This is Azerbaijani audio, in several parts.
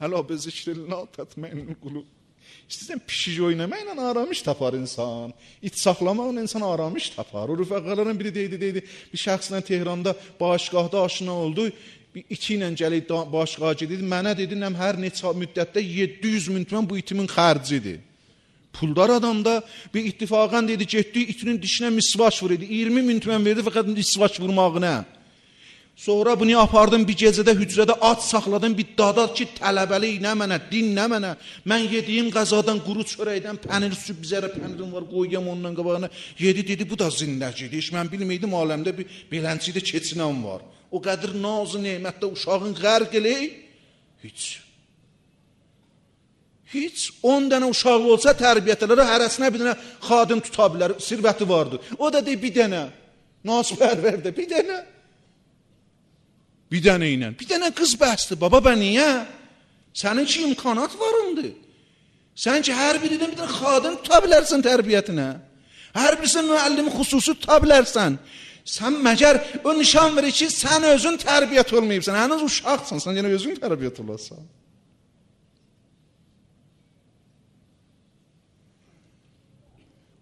Hələ bi zikrillah tətməinnul qulub. İstəyirsən pişik oynamaqla aramış tapar insan. İt saxlamaqla insan aramış tapar. O rüfəqələrin biri deydi, bir şəxslə Tehranda bağışqahda aşina oldu. Bir iti ilə gəlib bağışqaha gedirdi. Mənə dedi, hər neçə müddətdə 700 min tümən bu itimin xərcidir. Puldar adamda bir ittifaqən dedi, getdi, itinin dişinə misvaç vurdu. 20 min tümən verdi fəqət misvaç vurmağına. Sonra bunu apardım bir gecədə hücrədə at saxladım bir dada ki tələbəli nə mənə, din nə mənə. Mən yediyim qəzadan quru çörəkdən pənir süb bizərə pənirim var qoyuyam ondan qabağına. Yedi dedi bu da zindəcidir. Heç mən bilməydim aləmdə bir belənçidə keçinən var. O qədər nazı nemətdə uşağın qərq eləyib. Heç 10 dənə uşağı olsa tərbiyyətələrə hərəsinə bir dənə xadim tuta bilər, sirvəti vardır. O da deyir bir dənə, nasipərvərdə bir dənə. Bir dənə ilə. Bir dənə qız bəsdir. Baba bə niyə? Sənin ki imkanat varındır. Sən ki hər birindən bir dənə xadim tuta bilərsən tərbiyyətinə. Hər birisi müəllimi xüsusi tuta bilərsən. Sən məgər o nişan verir ki, sən özün tərbiyyət olmayıbsan. Hənuz uşaqsan, sən yenə özün tərbiyyət olarsan.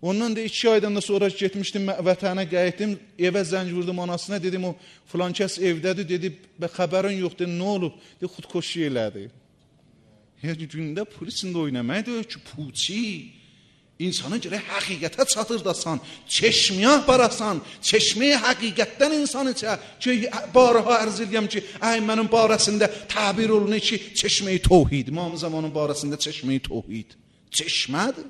Ondan da 2 aydan da sonra getmişdim vətənə qayıtdım, evə zəng vurdum anasına, dedim o filan kəs evdədir, dedi, xəbərin yoxdur, nə olub? Dedi, xudkoşu elədi. Gündə polisində oynamaq deyir ki, puçi, insanın gərək həqiqətə çatırdasan, çeşməyə barasan, çeşməyə həqiqətdən insan içə, ki, barıha ərz edirəm ki, mənim barəsində təbir olunur ki, çeşməyi tohid, İmam Zamanın barəsində çeşməyi tohid. Çeşmədir.